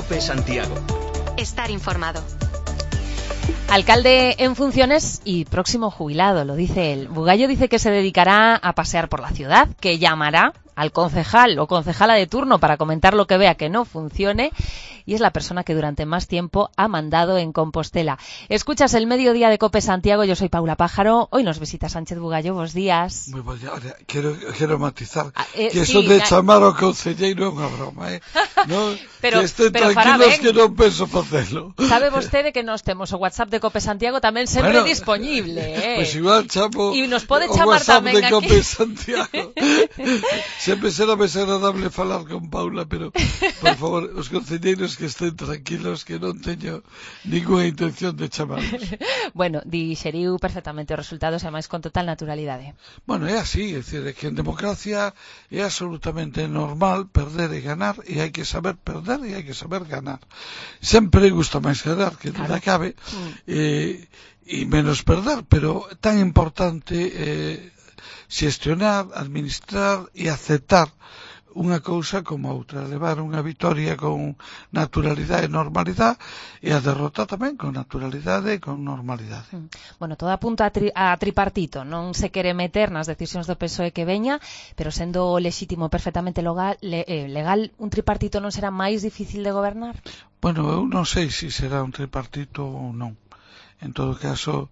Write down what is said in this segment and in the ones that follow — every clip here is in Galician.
COPE Santiago. Estar informado. Alcalde en funciones y próximo jubilado, lo dice él. Bugallo dice que se dedicará a pasear por la ciudad, que llamará al concejal o concejala de turno para comentar lo que vea que no funcione, y es la persona que durante más tiempo ha mandado en Compostela. Escuchas el Mediodía de COPE Santiago, yo soy Paula Pájaro, hoy nos visita Sánchez Bugallo, buenos días. Muy buen día. Quero matizar que sí, eso de chamar ao concelleiro é unha broma, non? Pero, que estén pero tranquilos que non penso facelo. Sabe vostede que nós temos o WhatsApp de COPE Santiago tamén sempre dispoñible, Pois igual chamo e nos pode o chamar WhatsApp tamén de aquí. COPE Santiago. Sempre será máis agradable falar con Paula, pero por favor, os concelleiros que estén tranquilos, que non teño ninguna intención de chamarlos. Bueno, dixeriu perfectamente os resultados e máis con total naturalidade. Bueno, é así, é dicir, que en democracia é absolutamente normal perder e ganar, e hai que saber perder e hai que saber ganar. Sempre gusta máis ganar que non acabe, e menos perder, pero tan importante xestionar, administrar e aceptar unha cousa como outra, levar unha vitoria con naturalidade e normalidade e a derrota tamén con naturalidade e con normalidade. Bueno, todo apunta a tripartito, non se quere meter nas decisións do PSOE que veña, pero sendo lexítimo perfectamente legal, un tripartito non será máis difícil de gobernar? Bueno, eu non sei se será un tripartito ou non. En todo caso,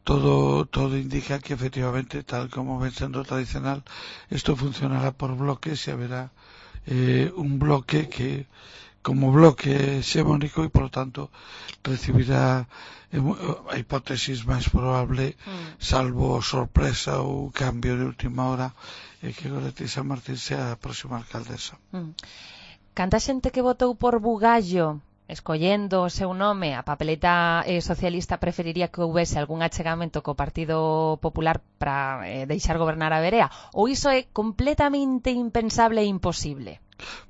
todo indica que efectivamente, tal como ven sendo tradicional, esto funcionará por bloques e haberá un bloque que como bloque hexemónico e, por lo tanto, recibirá a hipótesis máis probable, salvo sorpresa ou cambio de última hora, que Goretti San Martín sea a próxima alcaldesa. Canta xente que votou por Bugallo, escollendo o seu nome, a papeleta socialista preferiría que houvese algún achegamento co Partido Popular para deixar gobernar a Verea, ou iso é completamente impensable e imposible?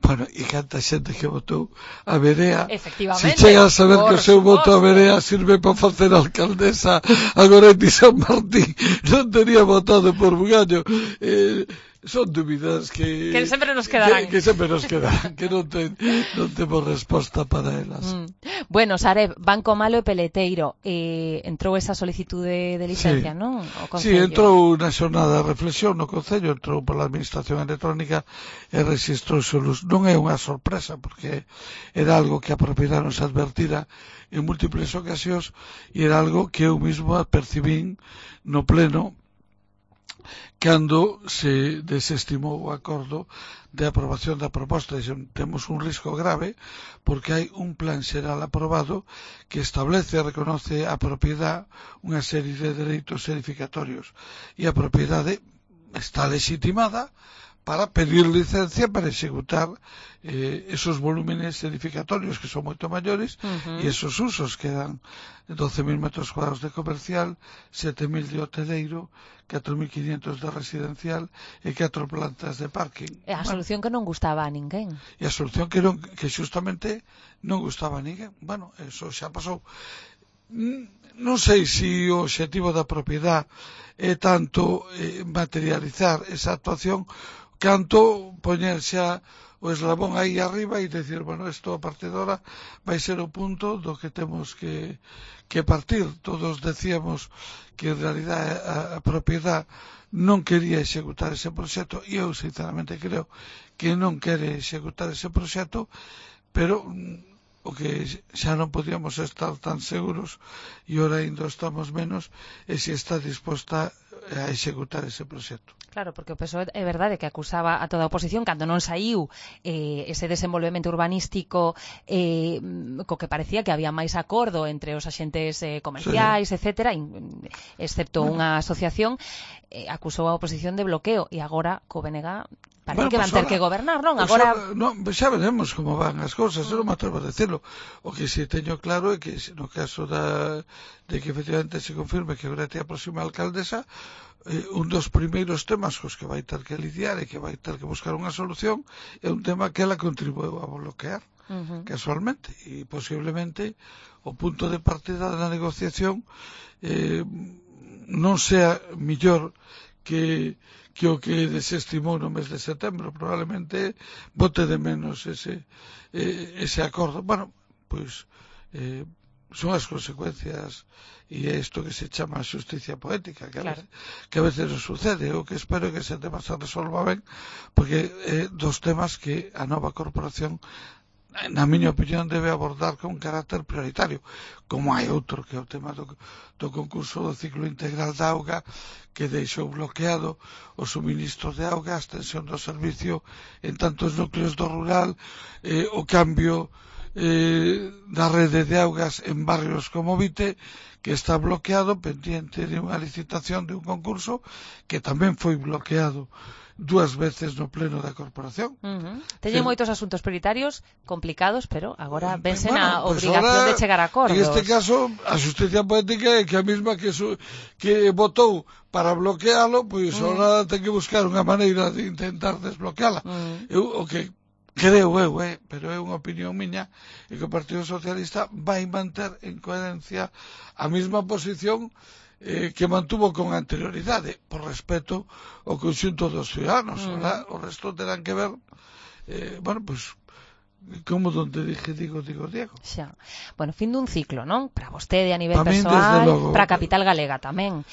Bueno, e canta xente que votou a Verea, efectivamente, se chega a saber que o seu voto a Verea sirve para facer alcaldesa a Goretti San Martín, non tería votado por Bugallo. Son dúbidas que sempre nos quedarán, que non temos resposta para elas. Bueno, Sareb, Banco Malo e Peleteiro, entrou esa solicitude de licencia, sí, non? Sí, entrou na xornada de reflexión no Concello, entrou pola Administración Electrónica e rexistrouse o luz. Non é unha sorpresa, porque era algo que a propiedade nos advertira en múltiples ocasións e era algo que eu mismo percibín no pleno cando se desestimou o acordo de aprobación da proposta. Temos un risco grave porque hai un plan xeral aprobado que establece e reconoce a propiedade unha serie de dereitos edificatorios e a propiedade está legitimada para pedir licencia para executar esos volúmenes edificatorios que son moito maiores e esos usos que dan 12.000 metros cuadrados de comercial, 7.000 de hoteleiro, 4.500 de residencial e 4 plantas de parking. É a solución que non gustaba a ninguén. E a solución que justamente non gustaba a ninguén. Bueno, eso xa pasou. Non sei se o obxectivo da propiedade é tanto materializar esa actuación canto poñer xa o eslabón aí arriba e decir, bueno, isto a partir de ahora vai ser o punto do que temos que partir. Todos decíamos que en realidade a propiedade non quería executar ese proxecto e eu sinceramente creo que non quere executar ese proxecto, pero o que xa non podíamos estar tan seguros e ora ainda estamos menos é se está disposta a executar ese proxecto. Claro, porque o PSOE é verdade que acusaba a toda a oposición cando non saiu ese desenvolvemento urbanístico co que parecía que había máis acordo entre os axentes comerciais, etcétera, excepto unha asociación, acusou a oposición de bloqueo e agora co BNG parece que van ter que gobernar, non? Agora xa veremos como van as cousas, eu non me atrevo a decirlo. O que si teño claro é que no caso de que efectivamente se confirme que Goretti é a próxima alcaldesa, un dos primeiros temas cos que vai ter que lidiar e que vai ter que buscar unha solución é un tema que ela contribuiu a bloquear casualmente, e posiblemente o punto de partida da negociación non sea millor que que o que desestimou no mes de setembro. Probablemente bote de menos ese acordo. Bueno, pois son as consecuencias e é isto que se chama xusticia poética, que a veces nos sucede. O que espero é que ese tema se resolva ben, porque é dos temas que a nova corporación, na miña opinión, debe abordar con carácter prioritario, como hai outro que é o tema do concurso do ciclo integral da auga, que deixou bloqueado o suministro de auga, a extensión do servicio en tantos núcleos do rural, o cambio da rede de augas en barrios como Vite, que está bloqueado pendiente de unha licitación de un concurso que tamén foi bloqueado 2 veces no pleno da corporación. Teñen moitos asuntos prioritarios complicados, pero agora vense na obrigación de chegar a acordos. En este caso, a xusticia poética é que a mesma que votou para bloquealo, pois agora ten que buscar unha maneira de intentar desbloqueala. O que creo eu, pero é unha opinión miña, e que o Partido Socialista vai manter en coherencia a mesma posición que mantuvo con anterioridade, por respeto ao conxunto dos ciudadanos. O resto terán que ver, como donde digo Diego. Xa. Bueno, fin dun ciclo, non? Para vostede a nivel persoal, para a capital galega tamén.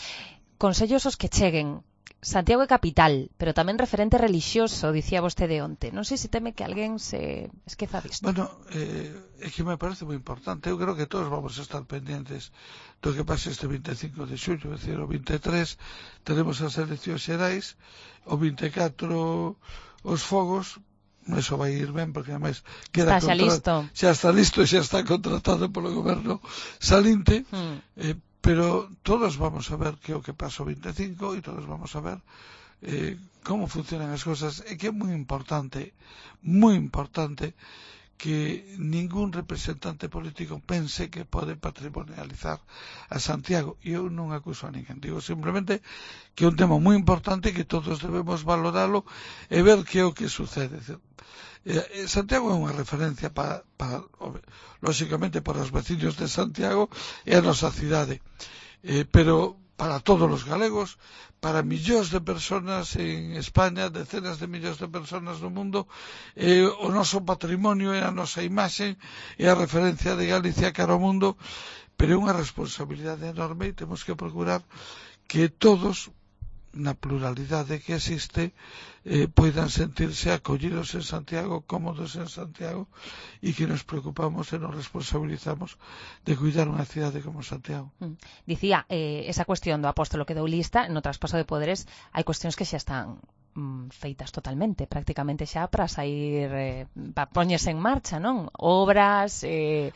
Consellos os que cheguen. Santiago é capital, pero tamén referente relixioso, dicía vostede onte. Non sei se teme que alguén se esqueza disto. Bueno, é que me parece moi importante. Eu creo que todos vamos a estar pendientes do que pase este 25 de xullo, é dicir, o 23 tenemos as eleccións xerais, o 24 os fogos. Eso vai ir ben, porque ademais queda xa listo. Xa está listo, xa está contratado polo goberno salinte. Pero todos vamos a ver que o que pasa o 25 e todos vamos a ver como funcionan as cousas. É que é moi importante que ningún representante político pense que pode patrimonializar a Santiago. E eu non acuso a ninguén, digo simplemente que é un tema moi importante que todos debemos valoralo e ver que é o que sucede. Santiago é unha referencia lógicamente para os veciños de Santiago e a nosa cidade, pero para todos os galegos, para millóns de persoas en España, decenas de millóns de persoas no mundo, o noso patrimonio é a nosa imaxe, é a referencia de Galicia cara ao mundo, pero é unha responsabilidade enorme e temos que procurar que todos, na pluralidade que existe, poidan sentirse acollidos en Santiago, cómodos en Santiago, e que nos preocupamos e nos responsabilizamos de cuidar unha cidade como Santiago. Dicía, esa cuestión do apóstolo que dou lista, no traspaso de poderes, hai cuestións que xa están feitas totalmente, prácticamente xa para sair, para poñerse en marcha, non? Obras, un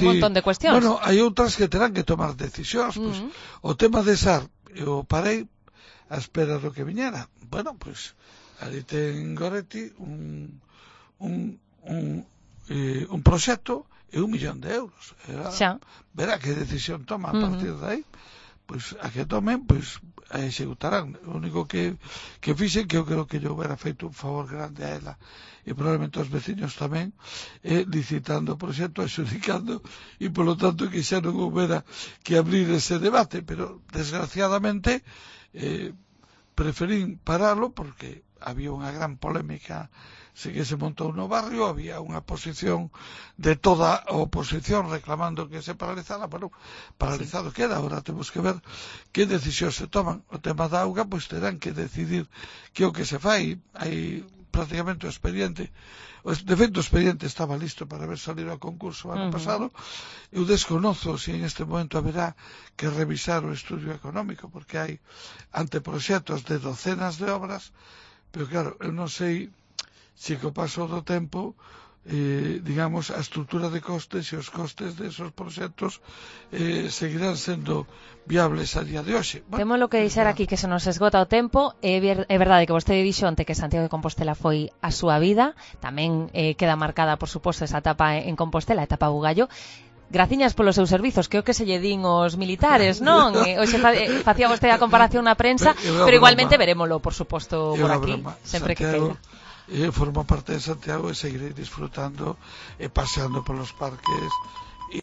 montón de cuestións. Bueno, hai outras que terán que tomar decisións, pues, o tema de SAR, eu parei a espera do que viñera. Bueno, pois ali ten Goretti un proxecto e 1 millón de euros. Verá que decisión toma a partir de aí. Pois a que tomen, pois a executarán. O único que fixen, que eu creo que yo hubiera feito un favor grande a ela e probablemente aos veciños tamén, licitando o proxecto, adxudicando, e polo tanto que xa non houbera que abrir ese debate, pero desgraciadamente preferín paralo porque había unha gran polémica que se montou no barrio, había unha posición de toda a oposición reclamando que se paralizara, pero paralizado queda. Ahora temos que ver que decisións se toman. O tema da auga, pois terán que decidir que o que se fai. Hai prácticamente o expediente, de feito o expediente estaba listo para haber salido a concurso ano pasado. Eu desconozo se en este momento haberá que revisar o estudio económico, porque hai anteproxectos de docenas de obras, pero claro, eu non sei se co paso do tempo digamos, a estrutura de costes e os costes desos proxectos seguirán sendo viables a día de hoxe. Temos lo que deixar aquí, que se nos esgota o tempo. É verdade que vostede dixo onte que Santiago de Compostela foi a súa vida, tamén queda marcada, por suposto, esa etapa en Compostela, a etapa Bugallo. Graciñas polos seus servizos, que é o que se lle din os militares, non? Hoxe facía vostede a comparación na prensa, pero igualmente verémolo, por suposto, por aquí, sempre que queira. Formo parte de Santiago e seguirei disfrutando e paseando polos parques